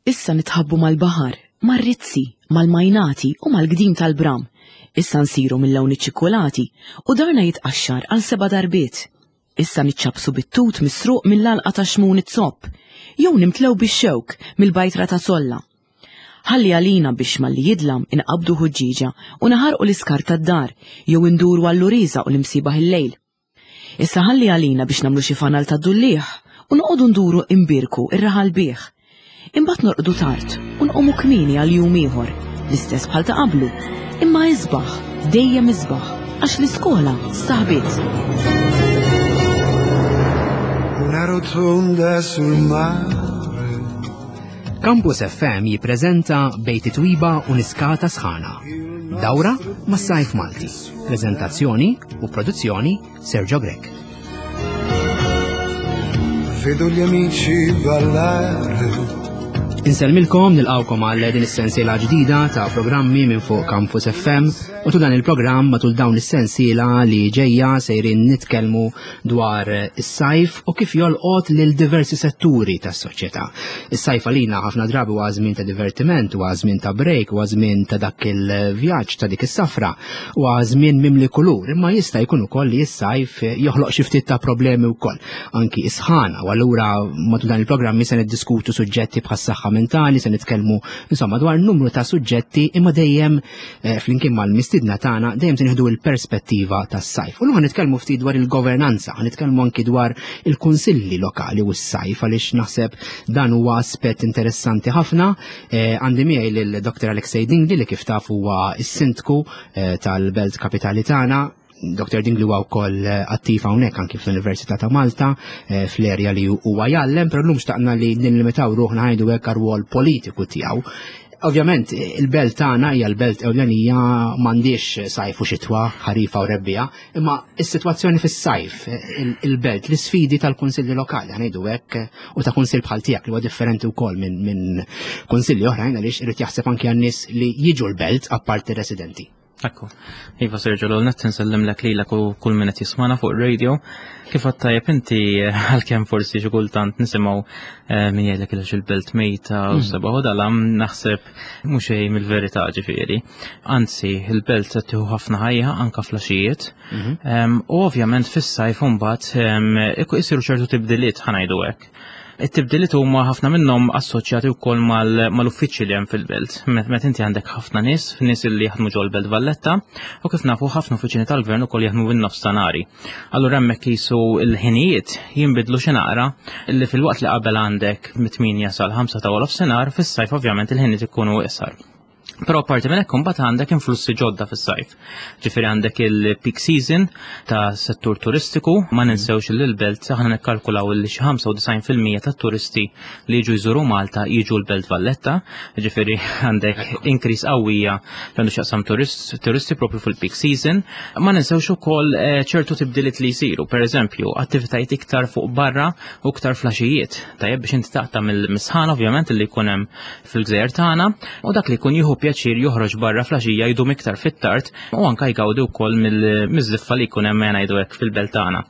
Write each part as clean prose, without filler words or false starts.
Issa nitħabbu mal-baħar, mar-rizzi, mal-majnati u mal-gdim tal-bram. Issa nsiru mill-lawn iċ-ċikkulati u darna jitqaxxar għal seba' darbiet. Issa niċċappsu bit-tut misruq mill-għalqa ta' Xmun iz-Zopp, jew nimtlew bix-xewk mill-bajtra ta' Solla. Ħalli għalina biex malli jidlam inqabbdu ħuġġieġa u naħarqu l-iskart tad-dar jew induru għall-uriża u l-imsiebaħ il-lejl. Issa ħalli għalina biex nagħmlu xi fanal tad-dulliegħ u noqogħdu nduru imbierku r-raħal bih. Imbagħad norqdu tard u nqumu kmieni għal jum ieħor, l-istess bħal ta' qablu, imma isbaħ, dejjem isbaħ, għax l-iskola staħbiet. Una rotonda sul mare. Campus FM jippreżenta Bejt Twiba u Niskata Sħana. Dawra mas-Sajf Malti. Preżentazzjoni u produzzjoni Sergio Grech. Vedo gli amici ballare. Insellmilkom nilqawkom għal din is-sensiela ġdida ta' programmi minn fuq Campus FM u tul dan il-programm matul dawn is-sensiela li ġejja sejrin nitkellmu dwar is-sajf u kif jolqot lil diversi setturi tas-soċjetà. Is-sajf għalina ħafna drabi huwa żmien ta' divertiment, huwa żmien ta' break, huwa żmien ta' dak il-vjaġġ ta' dik is-safra. Huwa żmien mimli kulur, imma jista' jkun ukoll li s-sajf joħloq xi ftit ta' problemi wkoll, anki is-sħana, u allura matul dan il-programmi se niddiskutu suġġetti bħas-saħħa mentali, se nitkellmu insomma dwar numru ta' suġġetti imma dejjem eh, flimkien mal-mistiedna tagħna dejjem se nieħdu l-perspettiva tas-sajf. U llum nitkellmu ftit dwar il-governanza, nitkellmu anki dwar il-kunsilli lokali u s-sajf għaliex naħseb dan huwa aspett interessanti ħafna Eh, għandi miegħi lil Dr. Alexei Dingli li kif taf huwa s-sindku eh, tal-Belt Kapitali tagħna. Dr. Dingli huwa wkoll eh, attiv hawnhekk anki fl-Università ta' Malta fl-erja li huwa jgħallem, però llum xtaqna li nillimitaw ruħna ħajdu hekk għar-rwol politiku tiegħu. Ovvjament, il-belt tagħna hija l-belt ewlenija m'għandix sajf u xitwa, ħarifa u rebbija, Imma is-sitwazzjoni fis-sajf, il-belt, l-isfidi tal-kunsilli lokali, ngħidu hekk, u ta' kunsill bħal tiegħek li huwa differenti wkoll minn min kunsilli oħrajn għaliex irid jaħseb anke għan-nies li jiġu l-belt apparti residenti. Ekku. Iva Sergio, l-għol nsellimlek lilek u kull min qed jismana fuq radio. Kif għad tajjeb inti għalkemm forsi xi kultant nisimgħu eh, min jgħidlek il-belt mejta u mm. seba' u dalam naħseb Mhux xejn mill-verità ġifieri. Anzi, il-belt qed tieħu ħafna ħajja anka flaxijiet. Mhm. U ovvjament fis-sajf imbagħad isiru ċertu tibdiliet ħanajdu hekk. It-tibdiliet huma ħafna minnhom assoċjati wkoll mal-uffiċċji li hemm fil-belt. Meta inti għandek ħafna nies, nies li jaħdmu ġol-Belt Valletta, u kif nafu ħafna uffiċini tal-gvern ukoll jaħdmu bin-nofstanari. Allura hemmhekk qisu l-ħinijiet jinbidlu xi naqra li filwaqt li qabel għandek mit-8 sal-5 ta' nofsinhar, fis-sajf ovvjament il-ħinijiet ikunu iqsar. Però apparti minn hekk imbagħad għandek influssi ġodda fis-sajf. Ġifieri għandek il-peak season ta' settur turistiku, ma ninsewx li l-belt aħna nikkalkulaw li xi 95% tat-turisti li jiġu jżuru Malta jiġu l-Belt Valletta, ġifieri għandek increase qawwija għandu x'jaqsam turisti propju fil-peak season. Ma ninsewx ukoll eh, ċertu tibdiliet li jsiru, per eżempju, attivitajiet iktar fuq barra u iktar flaxijiet. Tajjeb biex inti taqta' mill-misħan ovvjament li jkun hemm fil-gżejjer tagħna u dak li jkun jieħu pjaċir joħroġ barra flaxija jdum iktar fit-tard u anka jgawdi wkoll mill-żiffa li jkun hemm ngħidu hekk fil-belt tagħna.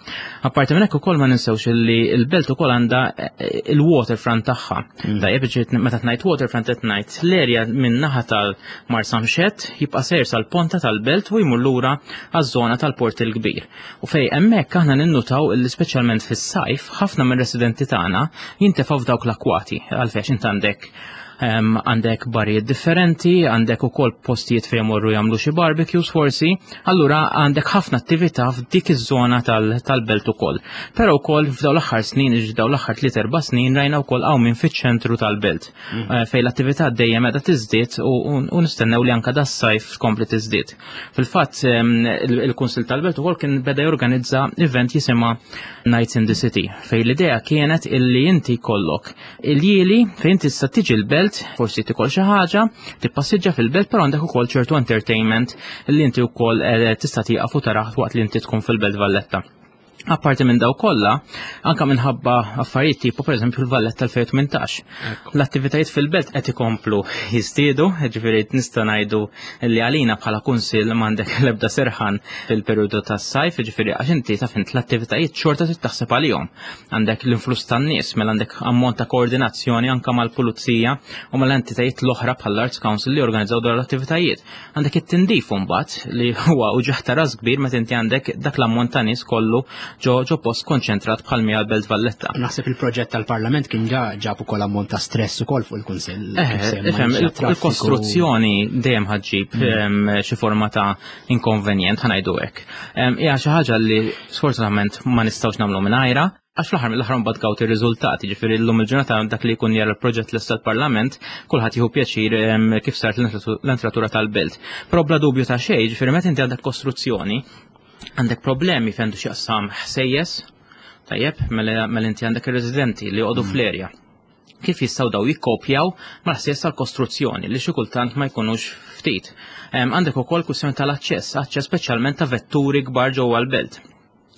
Apparti minn hekk ukoll ma ninsewx li l-belt ukoll għandha eh, il-waterfront tagħha. Mm. Tajjeb ġiet meta tgħid waterfront qed ngħid l-erja minn naħa tal-Marsamxett jibqa' sejr sal-ponta tal-belt u jmur lura għaż-żona tal-Port il-Kbir. U fej hemmhekk aħna ninnutaw li speċjalment fis-sajf ħafna mir-residenti tagħna jintefgħu f'dawk l-akwati għalfejn int għandek għandek barijiet differenti, għandek ukoll postijiet fejn morru jagħmlu xi barbecues forsi, allura għandek ħafna attività f'dik iż-żona tal-belt ukoll. Però wkoll f'dawn l-aħħar snin, dawn l-aħħar tliet erba' snin rajna wkoll qawmien fiċ-ċentru tal-belt mm. eh, fejn l-attività dejjem qiegħda tiżdied u nistennew li anke das-sajf tkompli tiżdied. Fil-fatt il-Kunsil tal-Belt ukoll kien beda jorganizza event jisimha Nights in the City fejn l-idea kienet illi inti kollok Il-jieli fejn tista' tiġi l-belt, forsi tikol xi ħaġa, tippassiġġa fil-belt, però għandek ukoll ċertu entertainment li inti wkoll eh, tista' tieqaf u taraħ waqt li inti tkun fil-Belt Valletta. Apparti minn daw kollha, anka minħabba affarijiet tipo pereżempju l-Valletta 2018. L-attivitajiet fil-belt qed ikomplu jiżdiedu, ġifieri nista' ngħidu li għalina bħala kunsill m'għandek l-ebda serħan fil-perjodu tas-sajf, ġifieri għax inti taf int l-attivitajiet xorta trid taħseb għalihom. Għandek l-influss tan-nies, mela għandek ammont ta' koordinazzjoni anka mal-pulizija u mal-entitajiet l-oħra bħall-Arts Council li jorganizzaw dawn l-attivitajiet. Għandek it-tindif mbagħad li huwa uġigħ ta' ras kbir meta inti għandek dak l-ammont ta' nies kollu ġo ġo post konċentrat bħal mija l-Belt Valletta. Naħseb il-proġett tal-Parlament kien ġa ġab ukoll ammont ta' stress ukoll fuq il-Kunsill. Eh, ifhem, il-kostruzzjoni dejjem ħaġġib mm. xi forma ta' inkonvenjent ħanajdu hekk. Hija xi ħaġa li sfortunatament ma nistgħux nagħmlu mingħajra. Għax fl-aħħar mill-aħħar mbagħad gawt ir-riżultati, ġifieri llum il-ġurnata dak li jkun jara l-proġett lesta l-Parlament, kulħadd jieħu pjaċir kif saret l-entratura tal-belt. Però bla dubju ta' xejn, ġifieri meta inti għandek kostruzzjoni, għandek problemi fejn għandu x'jaqsam ħsejjes, tajjeb, mela, mela inti għandek ir-residenti li joqogħdu mm. fl-erja. Kif jistgħu daw jikkopjaw mal-ħsies tal-kostruzzjoni li xi kultant ma jkunux ftit. Għandek ukoll kwistjoni tal-aċċess, aċċess speċjalment ta' vetturi kbar ġewwa l-belt.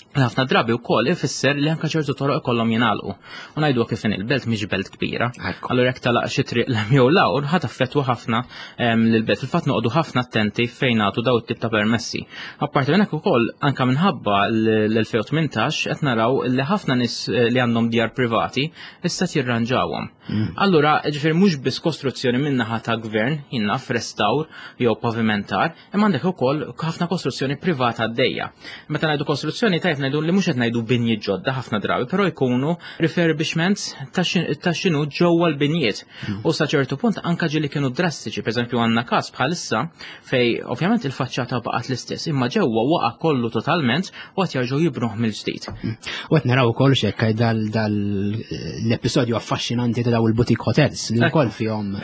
Ħafna drabi wkoll ifisser li anke ċertu toroq ikollhom jingħalqu. U ngħidu kif in il-belt mhix belt kbira. Allura jekk talaq xi triq l jew lawr ħadd affettwa ħafna ehm, lill-belt. Fil-fatt noqogħdu ħafna attenti fejn nagħtu daw it-tip ta' permessi. Apparti minn hekk ukoll anke minħabba l-2018 qed naraw li ħafna nies eh, li għandhom djar privati issa jirranġawhom. Mm. Allura, ġifier mhux biss kostruzzjoni min-naħa ta' gvern, jinnaf restawr jew pavimentar, Imma għandek ukoll ħafna kostruzzjoni privata għaddejja. Meta ngħidu kostruzzjoni tajb ngħidu li mhux qed ngħidu binji ġodda ħafna drabi, però jkunu refurbishments ta' x'inhu ġewwa l-binjiet. Hmm. U sa ċertu punt anka ġieli kienu drastiċi, pereżempju għandna każ bħalissa fej ovvjament il-faċċata baqgħet l-istess, imma ġewwa waqa' kollu totalment u qed jerġgħu jibnuh mill-ġdid. Hmm. U qed naraw ukoll xekk dal l-episodju affaxxinanti ta' daw il-boutique hotels li wkoll fihom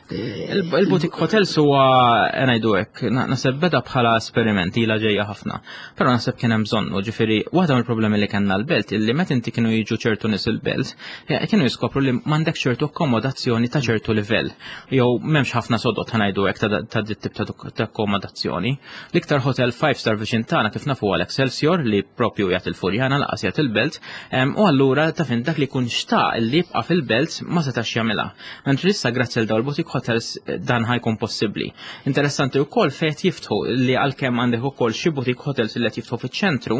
Il-boutique hotels huwa ngħidu hekk, naħseb beda bħala esperiment ilha ġejja ħafna. Però naħseb kien hemm bżonnu, ġifieri waħda mill-problemi li kellna l-belt illi meta inti kienu jiġu ċertu nies il-belt, eh, kienu jiskopru li m'għandek ċertu akkomodazzjoni ta' ċertu livell. Jew m'hemmx ħafna sodot ngħidu hekk ta' dit tip ta' akkomodazzjoni. L-iktar hotel five star viċin tagħna kif nafu għal Excelsior li propju jagħti il-Furjana laqas jagħti il-belt, u allura ta' fin dak li jkun xtaq li jibqa' fil-belt ma setax jagħmilha. Mentri issa grazzi għal dawn il-boutique hotels eh, dan ħajkun possibbli. Interessanti wkoll fejn qed jiftħu li għalkemm għandek ukoll xi boutique hotels li qed jiftħu fiċ-ċentru,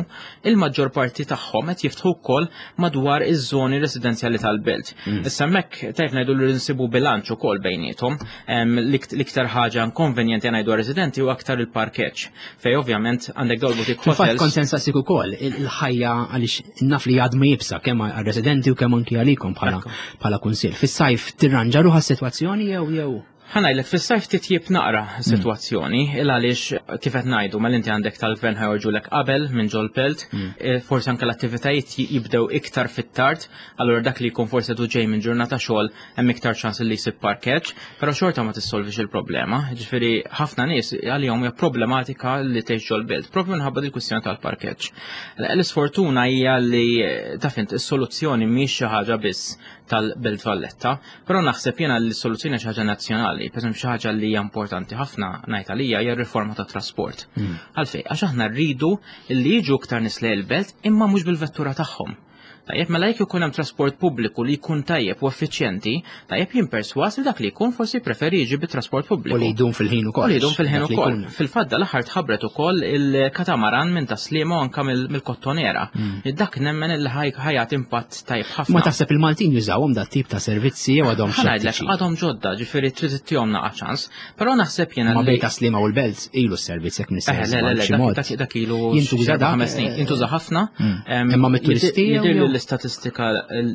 il-maġġor parti tagħhom qed jiftħu wkoll madwar iż-żoni residenzjali tal-belt. Mm. Issa hemmhekk tajb ngħidu li nsibu bilanċ ukoll bejniethom. L-iktar ħaġa inkonvenjenti ngħidu residenti u aktar il-parkeġġ fej ovvjament għandek dawn boutique hotels. Fil-fatt kont sensasik ukoll il-ħajja għaliex naf li għadmu jibsa kemm għar-residenti u kemm anki għalikom bħala bħala kunsill. Fis-sajf tirranġa ruħha s-sitwazzjoni jew jew Ħanajlek, fis-sajf titjib naqra s-sitwazzjoni, mm. il għaliex kif qed ngħidu mela inti għandek tal-gvern ħajorġulek qabel minn ġol pelt, mm. eh, forsi anke l-attivitajiet jibdew iktar fit-tard, allura dak li jkun forsi du ġej minn ġurnata xogħol hemm iktar ċans li jsib parkeġġ, però xorta ma tissolvix il-problema. Ġifieri ħafna nies għalihom hija problematika li tgħix ġol-belt, propju minħabba dil-kwistjoni tal-parkeġġ. L-isfortuna hija li taf int is-soluzzjoni mhix xi ħaġa biss tal-Belt Valletta, però naħseb jiena li s-soluzzjoni xi ħaġa nazzjonali, pereżempju xi ħaġa li hija importanti ħafna ngħid għalija hija r-riforma tat-trasport. Hmm. Għalfejn, għax aħna rridu li jiġu iktar nies lejn il-belt imma mhux bil-vettura tagħhom. Tajjeb, mela jekk ikun hemm trasport pubbliku li jkun tajjeb u effiċjenti, tajjeb jien perswas li dak li jkun forsi preferi jiġi bit-trasport pubbliku. U li jdum fil-ħin ukoll. U li jdum fil-ħin ukoll. Fil-fatt dal-aħħar tħabbret ukoll il-katamaran minn Taslima u anka mill-Kottonera. Mm. Dak nemmen li ħajat impatt tajjeb ħafna. Ma taħseb il-Maltin jużawhom dat tip ta' servizzi jew għadhom x'ngħidlek għadhom ġodda, ġifieri trid ittihom naqa' ċans. Però naħseb jiena Ma bejn Taslima u l-Belt ilu s-servizz jekk nista' eh, le, le, le, dak ilu jintuża ħames snin, eh, jintuża ħafna. Mm. Imma mit-turisti jidher li l-istatistika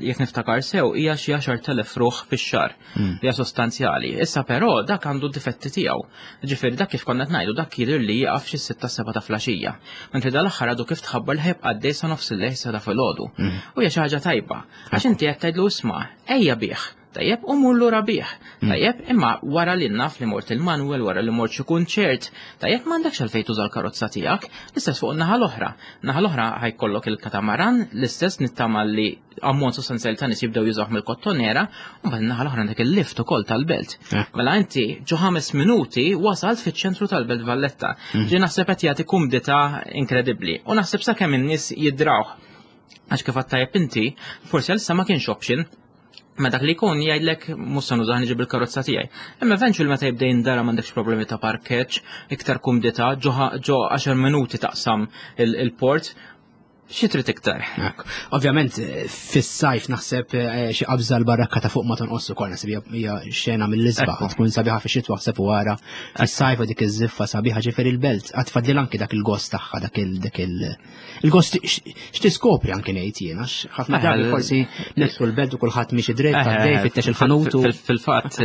jekk niftakar sew hija xi 10,000 ruħ fix-xahar. Mm. Hija sostanzjali. Issa però dak għandu difetti tiegħu. Ġifieri dak kif konna ngħidu dak jidher li jaqaf xi sitta seba' ta' flaxija. Mentri dal-aħħar għadu kif tħabbar li ħajbqa' għaddej sa nofs il-lejl sa ta' filgħodu. Mm. U hija xi ħaġa tajba. Għax inti qed tgħidlu isma' ejja bih. Tajjeb, u mur lura bih. Hmm. Tajjeb, imma wara li naf li mort il-Manuel, wara li mort xi kunċert, tajjeb m'għandekx għalfejn tuża l-karozza tiegħek, l-istess fuq naħa l-oħra. Naħa l-oħra ħajkollok il-katamaran, l-istess nittama li ammont sostanzjali ta' nies jibdew jużawh mill-kottonera, u mbagħad naħa l-oħra għandek il-lift ukoll tal-belt. Mela inti ġo ħames minuti wasalt fiċ-ċentru tal-Belt Valletta. Hmm. Ġi naħseb qed jagħti kumdità inkredibbli. U naħseb sakemm in-nies jidrawh. Għax kif tajjeb inti, forsi għalissa ma kienx option, Ma dak li jkun jgħidlek mhux se nużah niġi bil-karozza tiegħi. Imma eventually meta jibda jindara m'għandekx problemi ta' parkeġġ, iktar kumdità, ġo 10 minuti taqsam il-port, xi trid iktar. Ovvjament fis-sajf naħseb eh, xi qabża l-barrakka ta' fuq ma tonqos ukoll naħseb hija xena mill-isbaħ tkun sabiħa fix-xitwa ħseb u wara fis-sajf dik iż-żiffa sabiħa ġifieri l-belt qatt fadlil anki dak il-gost tagħha dak il dak il il-gost x'tiskopri anki ngħid jien għax ħafna drabi forsi nidħlu l-belt u kulħadd miexi dritt għaddej fittex il-ħanut. Fil-fatt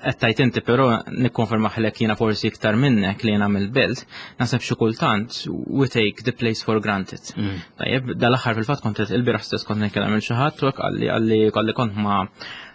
qed tajt inti però nikkonfermaħlek jiena forsi iktar minnek li jiena mill-belt, naħseb xi kultant we take the place for granted. Mm. Tajjeb, dal-aħħar fil-fatt kont il-bieraħ stess kont nitkellem il xi ħadd u hekk qalli qalli qalli kont ma'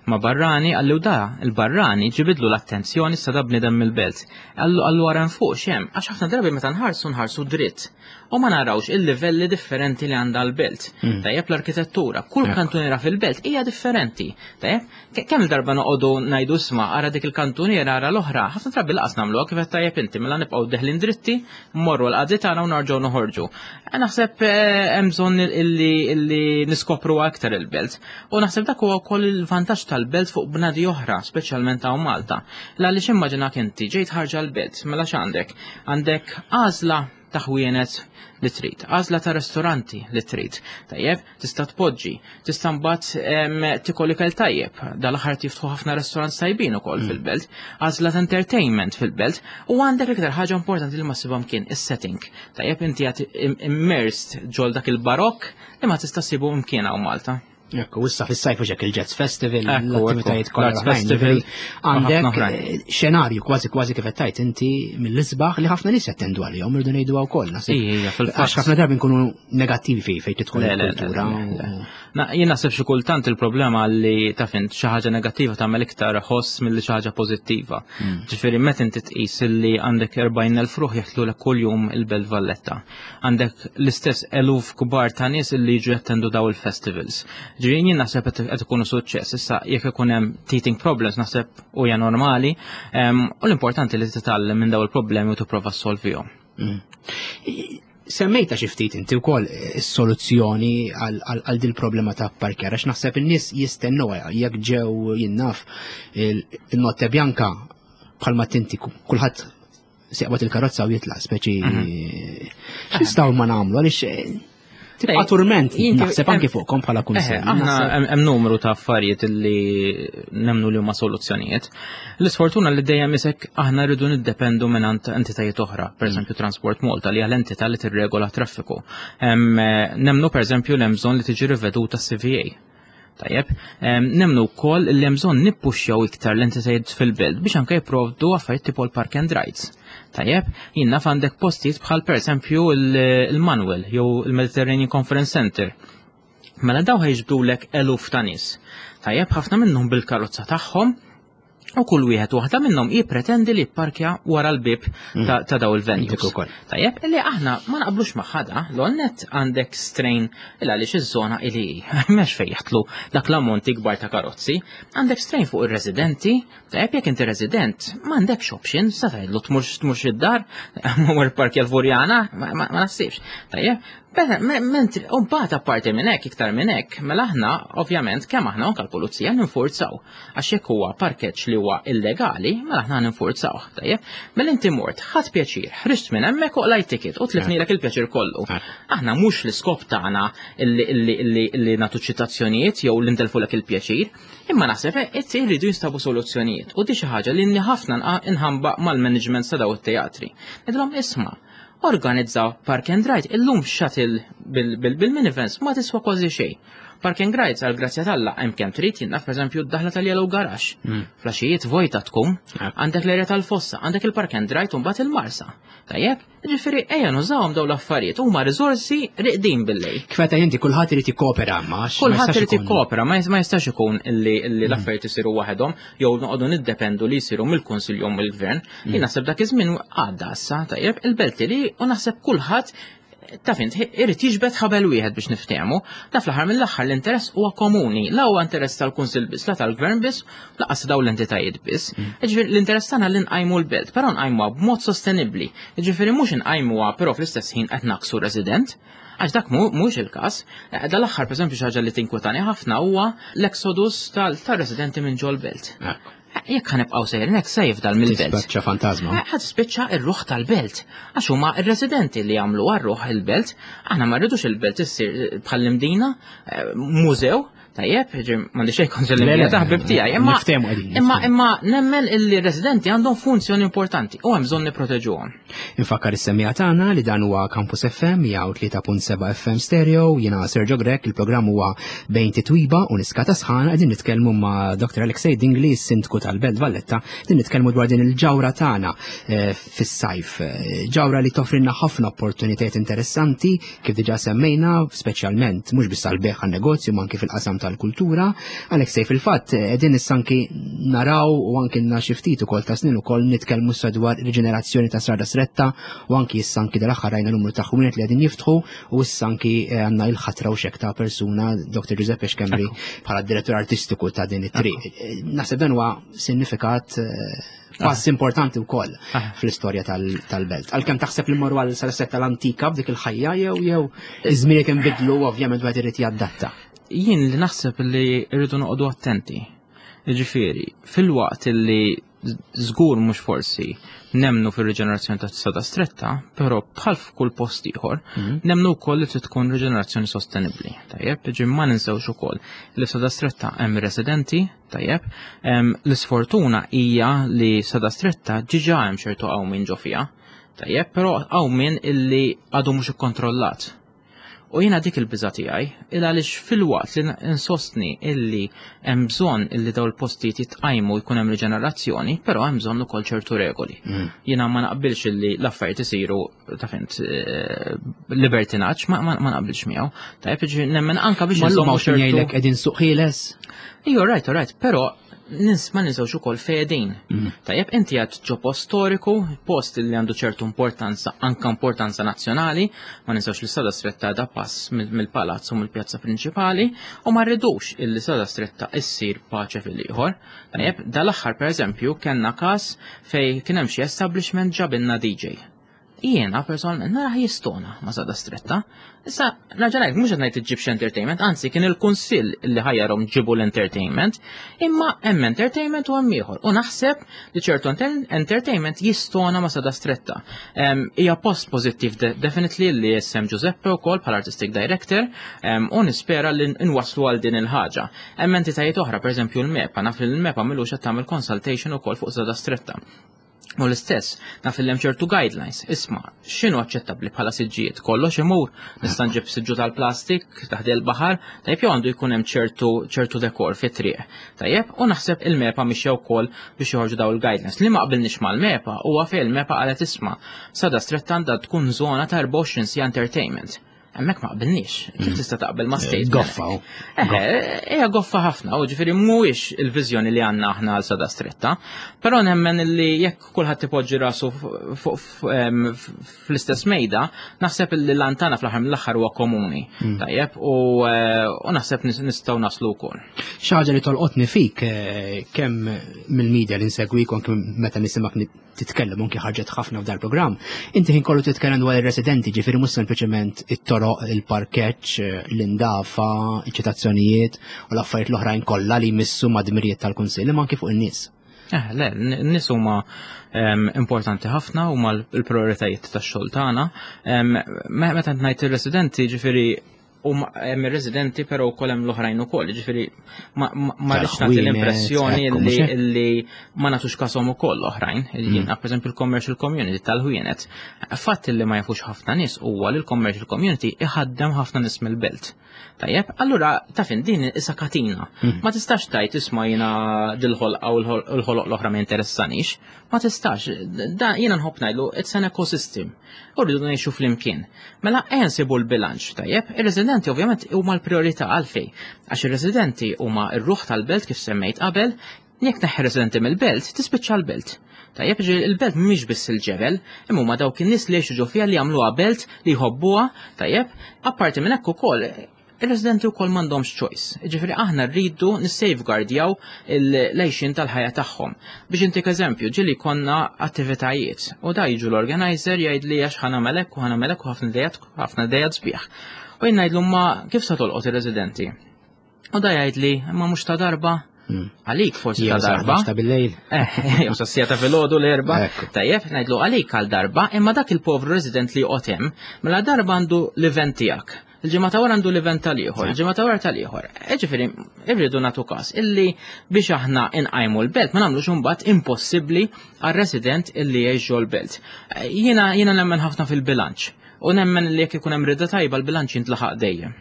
ma' barrani, qalli u da, il-barrani ġibidlu l-attenzjoni sa da bniedem mill-belt. Qallu qallu ara fuq xem, għax ħafna drabi meta nħarsu nħarsu dritt u ma narawx il-livelli differenti li għandha l-belt. Mm. Tajjeb l-arkitettura, kull kantuniera fil-belt hija differenti. Tajjeb, kemm il-darba noqogħdu ngħidu isma' ara dik il-kantuniera ara l-oħra, ħafna drabi laqas nagħmluha kif qed tajjeb inti mela nibqgħu deħlin dritti, mmorru l-qadi tagħna u narġgħu noħorġu. Eh, naħseb eh, hemm bżonn illi, illi niskopru aktar il-belt. U naħseb dak huwa wkoll il-vantaġġ tal-belt fuq bnadi oħra, speċjalment hawn Malta. L għaliex immaġinak inti ġejt ħarġa l-belt, mela x'għandek? Għandek għażla ta' ħwienet li trid, għażla ta' ristoranti li trid. Tajjeb, tista' tpoġġi, tista' mbagħad tikol ikel tajjeb, dal-aħħar jiftħu ħafna restaurants tajbin ukoll mm. fil-belt, għażla ta' entertainment fil-belt u għandek iktar ħaġa importanti li ma ssibhom kien is-setting. Tajjeb inti qed immersed ġol dak il-barokk li ma tista' ssibu mkien hawn Malta. Ekku, issa fis-sajf u ġek il-Jazz Festival, l-attivitajiet kollha Festival. Għandek eh, xenarju kważi kważi kif qed tgħid inti mill-isbaħ li ħafna nies jattendu għalihom irdu ngħidu wkoll. Għax ħafna drabi nkunu negattivi fejn tidħol il-kultura. Jien naħseb xi kultant il-problema li taf int xi ħaġa negattiva tagħmel iktar ħoss milli xi ħaġa pożittiva. Hmm. Ġifieri meta inti tqis li għandek 40,000 ruħ jaħtlulek kuljum il-Belt Valletta. Għandek l-istess eluf kbar ta' nies li jiġu jattendu daw il-festivals. Ġifieri jien naħseb qed ikunu suċċess. Issa jekk ikun hemm teething problems naħseb huja normali u l-importanti li titgħallem minn daw il-problemi u tipprova ssolvihom. Hmm. Semmejta xi ftit inti wkoll is-soluzzjoni għal dil problema ta' parkjar għax naħseb in-nies jistennew jekk ġew jinnaf il-notte bianca bħalma tinti kulħadd seqbad il-karozza u jitlaq speċi mhm. x'nistgħu ma nagħmlu għaliex eh, tibqa' turment naħseb anki fuqkom bħala kunsill. Aħna hemm numru ta' affarijiet li nemnu li huma soluzzjonijiet. L-isfortuna li dejjem isek aħna rridu niddependu minn entitajiet oħra, pereżempju mm. Transport Malta li hija l-entità li tirregola traffiku. Nemnu pereżempju li hemm bżonn li tiġi riveduta CVA. Tajjeb, nemnu wkoll li hemm bżonn nippuxxjaw iktar l-entitajiet fil-belt biex anke jipprovdu affarijiet tipo l-park and rides. Tajjeb, jien naf għandek postijiet bħal pereżempju il-Manuel jew il-Mediterranean Conference Center. Mela daw ħajġbdulek eluf ta' nies. Tajjeb, ħafna minnhom bil-karozza tagħhom u kull wieħed waħda minnhom jippretendi li jipparkja wara l-bib mm. ta' daw il-venues. Tajjeb, li aħna ma naqblux maħħada, l-onnet għandek strain il għaliex iż-żona ili m'hemmx fejn jaħtlu dak l-ammont ikbar ta' karozzi, għandek strain fuq ir-residenti, tajjeb jekk inti resident m'għandekx option, sa tgħidlu tmurx tmurx id-dar, mur parkja l-Furjana, ma naħsibx. Tajjeb, Mentri, u mbagħad apparti minn hekk, iktar minn hekk, mela aħna ovvjament kemm aħna anke l-pulizija ninfurzaw. Għax jekk huwa parkeġġ li huwa illegali, mela aħna ninfurzawh, tajjeb? Mela inti mort, ħadt pjaċir, ħriġt minn hemmhekk u qlajt ticket u tlifnilek il-pjaċir kollu. Aħna mhux l-iskop tagħna illi nagħtu ċitazzjonijiet jew li ntelfulek il-pjaċir, imma naħseb qed irridu jinstabu soluzzjonijiet u di xi ħaġa li ħafna nħambaq mal-management ta' daw it-teatri. Ngħidilhom isma' Organizza park and ride, illum shuttle bil-minivans ma tiswa kważi xejn. Park and rides għal grazzja t'Alla hemm kemm trid jien naf pereżempju d-daħla tal-Yellow Garage. Mm. Flaxijiet vojta tkun, għandek l-erja tal-fossa, għandek il-park and ride u mbagħad il-marsa. Tajjeb, ġifieri ejja nużawhom dawn l-affarijiet huma riżorsi riqdin bil-lejl. Kif inti kulħadd irid jikkopera ma Kulħadd irid jikkopera, ma jistax ikun illi mm. l-affarijiet isiru waħedhom jew noqogħdu niddependu li jsiru mill-Kunsill jew mill-Gvern. Mm. Jien naħseb dak iż-żmien għadda issa, tajjeb, il-belt li u naħseb kulħadd Taf int, irid jiġbed ħabel wieħed biex niftehmu, da fl-aħħar mill-aħħar l-interess huwa komuni, la huwa interess tal-Kunsill biss, la tal-Gvern biss, laqas dawn l-entitajiet biss. Jiġifieri l-interess tagħna li nqajmu l-belt, però nqajmuha b'mod sostenibbli. Jiġifieri mhux inqajmuha però fl-istess ħin qed naqsu resident. Għax dak mhux il-każ. Eh, dal-aħħar pereżempju xi ħaġa li tinkwetani ħafna huwa l-exodus tal-residenti minn ġol-belt. Jekk ħanibqgħu sejrin hekk se jifdal mill-belt. Tispiċċa fantasma. Eh, ħad tispiċċa r-ruħ tal-belt. Għax huma r-residenti li jagħmlu għar-ruħ il-belt, aħna ma rridux il-belt issir eh, bħall-imdina, eh, mużew, tajjeb, m'għandi xejn kontra l-imdina ta' ħbib tiegħi, imma imma imma nemmen illi residenti għandhom funzjoni importanti u hemm bżonn nipproteġuhom. Infakkar is-semmiegħa tagħna li dan huwa Campus FM 103.7 FM Stereo, jiena Sergio Grech, il-programm huwa bejn titwiba u niska ta' sħana qegħdin nitkellmu ma' Dr. Alexei Dingli, sindku tal-Belt Valletta, qegħdin nitkellmu dwar din il-ġawra tagħna eh, fis-sajf. Eh, ġawra li toffrilna ħafna opportunitajiet interessanti kif diġà semmejna, speċjalment mhux biss għall-beħ għan-negozju ma anki fil-qasam tal-kultura. Alexei fil-fatt qegħdin issa anki naraw u anki lna xi ftit ukoll ta' snin ukoll nitkellmu issa dwar riġenerazzjoni ta' Strada Stretta u anki issa anki dal-aħħar rajna numru ta' ħwienet li qegħdin jiftħu u issa anki eh, għandna il-ħatra u xek ta' persuna Dr. Giuseppe Schembri bħala direttur artistiku ta' din it-triq. Eh, naħseb dan huwa sinifikat eh, pass importanti wkoll ah. fl-istorja tal-belt. Għalkemm taħseb li morru għal sal tal-antika b'dik il-ħajja jew jew iż-żmien inbidlu ovvjament wieħed irid jadatta. Jien li naħseb li rridu noqogħdu attenti. Ġifieri, fil-waqt li żgur mhux forsi nemnu fir-riġenerazzjoni ta' sada stretta, però bħal f'kull post ieħor, mhm. nemnu wkoll li trid tkun riġenerazzjoni sostenibbli. Tajjeb, ġi ma ninsewx ukoll li f'sada stretta hemm residenti, Tajjeb, l-isfortuna hija li sada stretta ġiġa hemm ċertu qawmien ġo fiha. Tajjeb, però qawmien illi għadu mhux ikkontrollat. U jiena dik il-biża tiegħi, il għaliex filwaqt li insostni illi hemm bżonn illi dawn il-postijiet jitqajmu jkun hemm riġenerazzjoni, però hemm bżonn ukoll ċertu regoli. Mm. Jiena ma naqbilx illi l-affarijiet isiru ta' fint eh, libertinaġġ ma, ma, ma naqbilx miegħu. Tajjeb ġifieri nemmen anka biex nżommu ċertu. jgħidlek qegħdin suq ħieles. Ejju, right, right, però nins ma ninsewx ukoll fedin. Mm. Tajjeb inti għad ġo post storiku, post li għandu ċertu importanza, anka importanza nazzjonali, ma ninsewx li sada stretta da pass mill-palazz u mill-pjazza prinċipali, u ma rridux illi sada stretta issir paċe fil-ieħor. Tajjeb, dal-aħħar pereżempju kellna każ fej kien hemm xi establishment ġabilna DJ. Jiena personalment narah jistona ma' Sada Stretta. Issa, nerġa' ngħid, mhux qed ngħid iġġibx entertainment, anzi kien il-kunsill li ħajjarhom ġibu l-entertainment, imma hemm entertainment u hemm ieħor. U naħseb li ċertu entertainment jistona ma' Sada Stretta. Hija post pożittiv definitely li jessem Giuseppe wkoll bħala artistic director u nispera li nwasslu għal din il-ħaġa. Hemm entitajiet oħra, pereżempju l-MEPA, naf li l-MEPA milux qed tagħmel consultation ukoll fuq Sada Stretta. U l-istess, naf li hemm ċertu guidelines, isma' x'inhu aċċettabbli bħala siġġijiet, kollox imur, nista' nġib siġġu tal-plastik taħt il-baħar, tajjeb jew għandu jkun hemm ċertu ċertu dekor fit-triq. Tajjeb, u naħseb il-MEPA mixja wkoll biex joħorġu daw il-guidelines. Li ma qbilniex mal-MEPA huwa fejn il-MEPA qalet isma' sada stretta għandha tkun żona ta' 24 siegħa entertainment. Hemmhekk ma qbilniex. Kif mm. tista' taqbel ma' state? Goffa. Eh, hija goffa ħafna, u ġifieri mhuwiex il-viżjoni li għandna aħna għal sada stretta. Però nemmen li jekk kulħadd ipoġġi rasu fl-istess mejda, naħseb li l-antana fl-aħħar mill-aħħar huwa komuni. Mm. Tajjeb, eh, u naħseb nistgħu naslu wkoll. Xi ħaġa li tolqotni fik eh, kemm mill-media li nsegwik u anke meta nisimgħek titkellem anki ħarġet ħafna f'dal programm, inti ħin kollu titkellem dwar ir-residenti, ġifieri mhux sempliċement it-toroq, il-parkeġġ, l-indafa, iċ-ċitazzjonijiet u l-affarijiet l-oħrajn kollha li jmissu ma' dmirijiet tal-Kunsill, imma anki fuq in-nies. Eh, le, n-nies huma ehm, importanti ħafna huma l-prioritajiet tax-xogħol tagħna. Ehm, meta ngħid ir-residenti, ġifieri u hemm ir-residenti però wkoll hemm l-oħrajn ukoll, ġifieri ma rridx nagħti l-impressjoni li ma nagħtux kasom ukoll l-oħrajn. Mm. Jiena pereżempju l-commercial community tal-ħwienet. Fatt li ma jafux ħafna nies huwa li l-commercial community iħaddem ħafna nies mill-belt. Tajjeb, allura taf din isa katina. Mm. Ma tistax tajt isma' jiena dil-ħolqa u l-ħoloq l-oħra ma jinteressanix. Ma tistax, da jiena nħobb ngħidlu it's an ecosystem. U rridu ngħixu flimkien. Mela ejja nsibu l-bilanċ, tajjeb? Ir-residenti ovvjament huma l-priorità għalfejn. Għax ir-residenti huma r-ruħ tal-belt kif semmejt qabel, Jekk tneħħi residenti mill-belt, tispiċċa l-belt. Tajjeb, ġifieri il-belt mhix biss il-ġebel, imma huma dawk in-nies li jgħixu ġo fiha li jagħmluha belt li jħobbuha, tajjeb, apparti minn hekk ukoll ir-residenti wkoll m'għandhomx choice. Ġifieri aħna rridu nissafeguardjaw l-għejxien tal-ħajja tagħhom. Biex intik eżempju, ġieli konna attivitajiet u da jiġu l-organizer jgħid li għax ħa nagħmel hekk u ħa nagħmel hekk u ħafna idejat ħafna idejat sbieħ. U jien ngħidlu ma kif se tolqot ir-residenti? U da jgħid li imma mhux ta' darba Għalik forsi ta' darba. Ta' bil-lejl. Eh, jew sa' sija ta' filgħodu l-erba. Tajjeb, ngħidlu għalik għal darba, imma dak il-povru resident li joqgħod hemm, mela darba għandu l-event tiegħek. Il-ġimgħa ta' wara għandu l-event tal-ieħor, il-ġimgħa ta' wara tal-ieħor. Eh, ġifieri, irridu nagħtu każ illi biex aħna inqajmu l-belt ma nagħmlux imbagħad impossibbli għar-resident illi jgħix ġol-belt. Eh, jiena jiena nemmen ħafna fil-bilanċ. U nemmen li jekk ikun hemm rida tajba l-bilanċ jintlaħaq dejjem.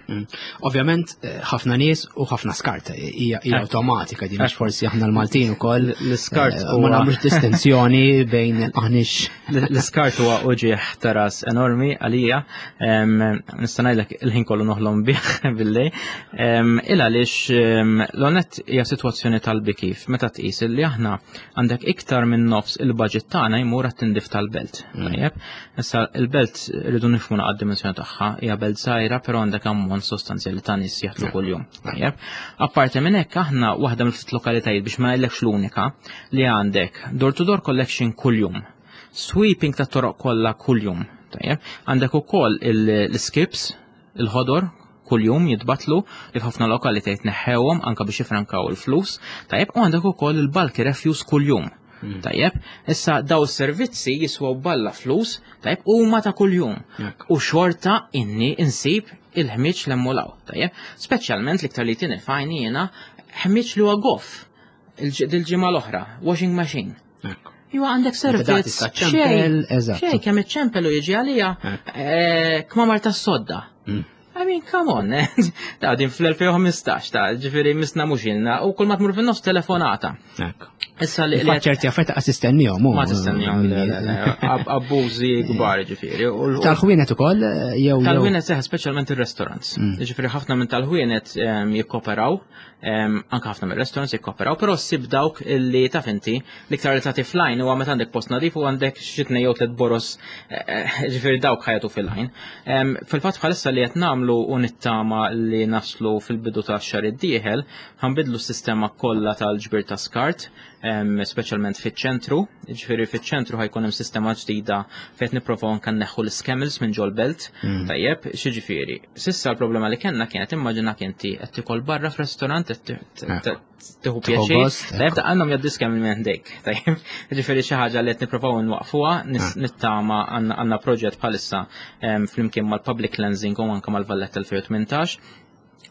Ovvjament, eh, ħafna nies u ħafna skart eh, hija awtomatika din għax forsi aħna l-Maltin ukoll l-iskart eh, ma nagħmlux distinzjoni bejn aħniex. L-iskart huwa uġieħ ta' ras enormi għalija. Nista' ngħidlek il-ħin kollu noħlom bih billej. Il għaliex l-onet hija sitwazzjoni tal-bikif meta tqis li aħna għandek iktar minn nofs il-budget tagħna jmur għat-tindif tal-belt. Tajjeb. Issa il-belt rridu nifhmu naqgħad dimensjoni tagħha, hija belt żgħira però għandek ammont sostanzjali ta' nies jaħdmu kuljum. Tajjeb. Apparti minn hekk aħna waħda mill-ftit lokalitajiet biex ma ngħidlekx l-unika li għandek door to door collection kuljum. Sweeping ta' toroq kollha kuljum. Tajjeb. Għandek ukoll l-skips il-ħodor kuljum jitbatlu li f'ħafna lokalitajiet neħħewhom anka biex jifrankaw il-flus. Tajjeb, u għandek ukoll il-bulky refuse kuljum. Tajjeb, issa daw is-servizzi jiswaw balla flus, tajjeb, huma ta' kuljum. U xorta inni insib il-ħmiġ l-emmulaw, tajjeb. Speċjalment l-iktar li tieni fajni jiena ħmiġ li huwa goff il-ġimgħa l-oħra, washing machine. Iwa għandek servizz. Xejn, xejn kemm iċċempel u jiġi għalija eh, kmamar tas-sodda. I mean, come on, eh? ta' din fl-2015, ta' ġifiri misna mux ilna, u kull ma tmur fin-nofs telefonata. Issa li ċerti affarijiet ta' tistennihom. Ma tistennihom, abbużi kbar ġifieri. Tal-ħwienet ukoll eh, jew. Tal-ħwienet seħ speċjalment ir-restaurants. Ġifieri ħafna minn tal-ħwienet jikkoperaw anke ħafna mir-restaurants jikkoperaw, però ssib dawk illi taf inti l-iktar li tagħti flajn huwa meta għandek post nadif u għandek xi tnejn jew tliet boros eh, eh, ġifieri dawk ħajatu fil-lajn. Fil-fatt bħalissa li qed nagħmlu u nittama li naslu fil-bidu tax-xahar id-dieħel, ħanbidlu s-sistema kollha tal-ġbir ta' skart, speċjalment fiċ-ċentru, ġifieri fiċ-ċentru ħajkun hemm sistema ġdida fejn nipprovaw anke nneħħu l-iskemils minn ġol-belt. Tajjeb, xiġifieri. Sissa l-problema li kellna kienet immaġinak inti qed tikol barra f'restorant qed tieħu pjaċir. Tajjeb ta' għandhom jgħaddi skemil minn ħdejk. Tajjeb, ġifieri xi ħaġa li qed nipprovaw nwaqfuha, nittama għandna proġett bħalissa flimkien mal-Public Cleansing u anke mal-Valletta 2018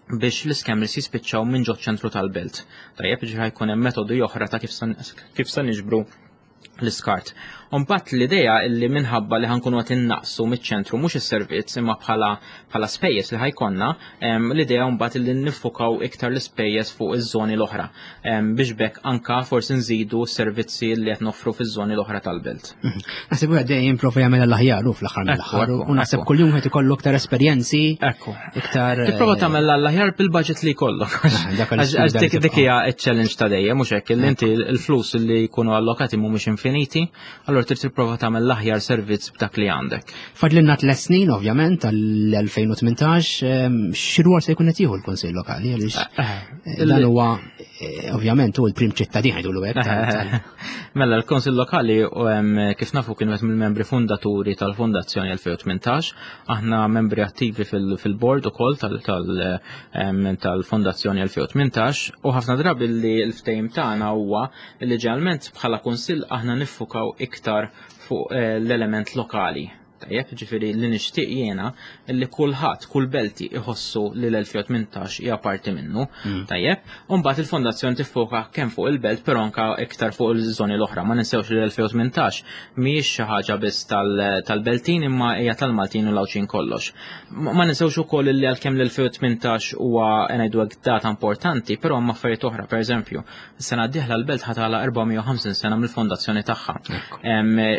biex l-iskemmers jispiċċaw minn ġo ċentru tal-belt. Tajjeb, ġifieri ħajkun hemm metodi oħra ta' kif se niġbru l-iskart. Mbagħad l-idea illi minħabba li ħankunu qed innaqsu miċ-ċentru mhux is-servizz imma bħala bħala spejjeż li ħajkonna, l-idea mbagħad illi niffukaw iktar l-ispejjeż fuq iż-żoni l-oħra biex bekk anka forsi nżidu s-servizzi li qed noffru fiż-żoni l-oħra tal-belt. Naħseb wieħed dejjem prova jagħmel l-aħjar u fl-aħħar mill-aħħar u naħseb kuljum qed ikollu aktar esperjenzi. Ekku. Iktar. Tipprova eh, tagħmel l-aħjar bil-budget li jkollok. Ah, għax dik hija ċ-challenge ta' dejjem mhux hekk li inti l-flus li jkunu allokati mhumiex infiniti, allura trid tipprova tagħmel l-aħjar servizz b'dak li għandek. Fadlinna tliet snin ovvjament tal-2018 ehm, x'rwol se jkun qed jieħu l-Kunsill Lokali għaliex eh, eh, dan huwa ovvjament hu l-prim ċittadin ħajdu hekk. Mela l-Kunsill Lokali kif nafu kien wieħed mill-membri fundaturi tal-Fondazzjoni 2018, aħna membri attivi fil-board ukoll tal-Fondazzjoni 2018 u ħafna drabi li l-ftehim tagħna huwa li ġeneralment bħala kunsill aħna niffukaw iktar fuq eh, l-element lokali. Tajjeb, ġifieri li nixtieq jiena li kulħadd, kull belti iħossu li l-2018 hija parti minnu. Tajjeb, u mbagħad il-fondazzjoni tiffoka kemm fuq il-belt però anka iktar fuq il-żoni l-oħra. Ma ninsewx li l-2018 mhijiex xi ħaġa biss tal-Beltin imma hija tal-Maltin u l-Għawdxin kollox. Ma ninsewx ukoll li għalkemm l-2018 huwa ngħidu hekk data importanti, però hemm affarijiet oħra, pereżempju, Is-sena d-dieħla l-belt ħa tagħlaq 450 sena mill-fondazzjoni tagħha.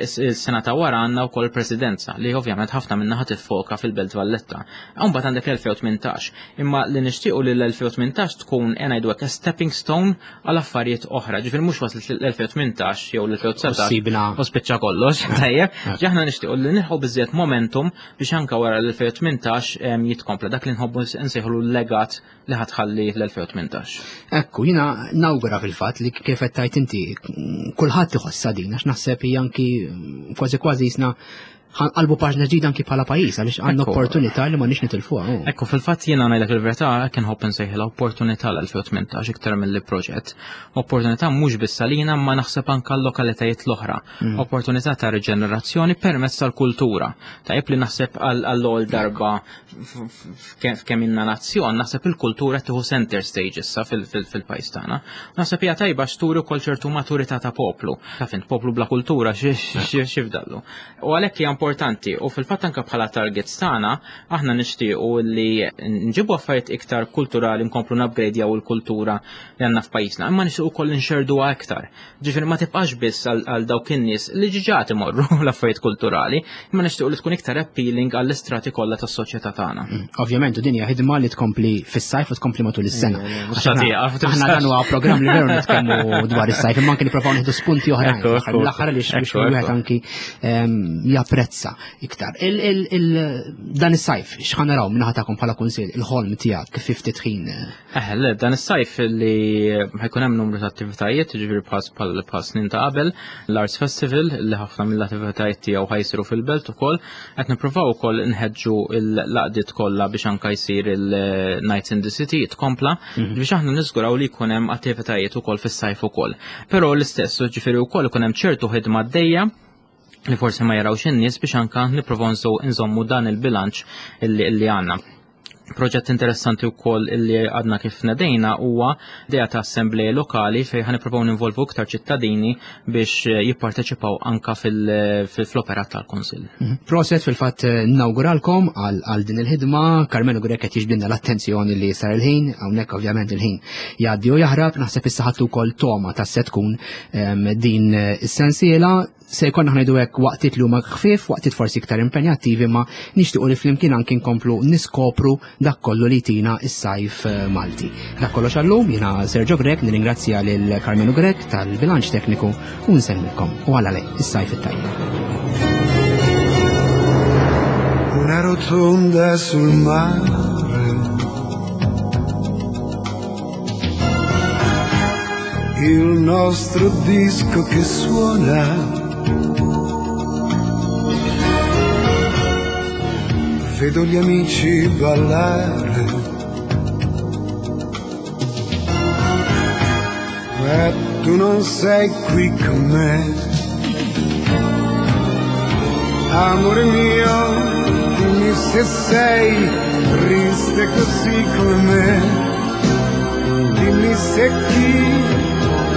Is-sena ta' wara għandna wkoll presidenza. issa li ovvjament ħafna minnha ħa tiffoka fil-Belt Valletta. Mbagħad għandek l-2018, imma li nixtiequ li l-2018 tkun ngħidu hekk stepping stone għal affarijiet oħra. Ġifieri mhux waslet l-2018 jew l-2019 u spiċċa kollox, tajjeb. Aħna nixtiequ li nilħu biżżejjed momentum biex anke wara l-2018 jitkompla dak li nħobbu nsejħlu l-legat li ħatħalli l-2018. Ekku, jina nawgura fil-fatt li kif qed tajt inti kulħadd iħossha din għax naħseb hija anki kważi kważi jisna ħanqalbu paġna ġdida anki bħala pajjiż għaliex għandna opportunità li ma nix nitilfuha. Oh. Ekku, fil-fatt jiena ngħidlek il-verità hekk inħobb insejħilha opportunità l-2018 iktar milli proġett. Opportunità mhux biss għalina ma naħseb anke l-lokalitajiet l-oħra. Opportunità ta' riġenerazzjoni permezz tal-kultura. Tajjeb li naħseb għall-ewwel darba f'kemm inna nazzjon, naħseb il-kultura tieħu center stage issa fil-pajjiż tagħna. Naħseb hija tajba x'turi wkoll ċertu maturità ta' poplu. Taf int poplu bla kultura x'ifdallu. U għalhekk hija importanti u fil-fatt anke bħala targets tagħna aħna nixtiequ li nġibu affarijiet iktar kulturali nkomplu nupgradejaw il-kultura li għandna f'pajjiżna, imma nixtiequ wkoll nxerduha iktar. Ġifieri ma tibqax biss għal dawk in-nies li ġiġa imorru l-affarijiet kulturali, imma nixtiequ li tkun iktar appealing għall-istrati kollha tas-soċjetà tagħna. Ovvjament, u din hija ħidma li tkompli fis-sajf u tkompli matul is-sena. Aħna dan huwa programm li veru nitkellmu dwar is-sajf, imma anke nipprovaw nieħdu spunti oħrajn l-aħħar li biex wieħed anki japprezza iktar. Dan is-sajf, x'ħa naraw minnaħa tagħkom bħala kunsill, il-ħolm tiegħek kif ftit ħin? Le, dan is-sajf li ħajkun hemm numru ta' attivitajiet, jiġifieri bħal bħal snin ta' qabel, l-Arts Festival li ħafna mill-attivitajiet tiegħu ħajsiru fil-belt ukoll, qed nippruvaw ukoll nħeġġu l-laqdiet kollha biex anke jsir il-Nights in the City tkompla biex aħna niżguraw li jkun hemm attivitajiet ukoll fis-sajf ukoll. Però l-istess, jiġifieri wkoll ikun hemm ċertu ħidma għaddejja li forsi ma jarawx in-nies biex anke nippruvaw nżommu dan il-bilanċ illi għandna. Proġett interessanti wkoll illi għadna kif nedejna huwa idea ta' assembleje lokali fejn ħa nippruvaw ninvolvu iktar ċittadini biex jipparteċipaw anka fl-operat tal-Kunsill. Proset fil-fatt nawguralkom għal din il-ħidma. Karmenu Grech qed jiġbdilna l-attenzjoni li sar il-ħin, hawnhekk ovvjament il-ħin jgħaddi u jaħrab, naħseb issa ħadtu wkoll toma ta' se tkun din is-sensiela. Se jkollna ngħidu hekk waqtiet li huma ħfief, waqtiet forsi iktar impenjattivi, ma nixtiequ li flimkien anki nkomplu niskopru dak kollu li jtina s-sajf Malti. Dak kollox għallum, jiena Sergio Grech, nirringrazzja lil Karmenu Grech tal-bilanċ tekniku u nsellmilkom u għala lej is-sajf it-tajjeb. Una rotonda sul mare. Il nostro disco che suona. Vedo gli amici ballare. Ma tu non sei qui con me. Amore mio, dimmi se sei triste così come me. Dimmi se chi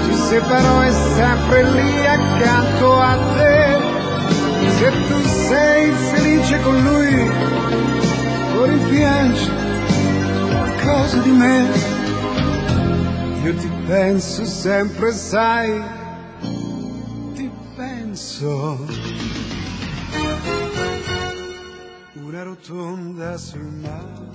ci separò è sempre lì accanto a te. Se tu sei felice con lui, o rimpiangi qualcosa di me. Io ti penso sempre, sai, ti penso. Una rotonda sul mare.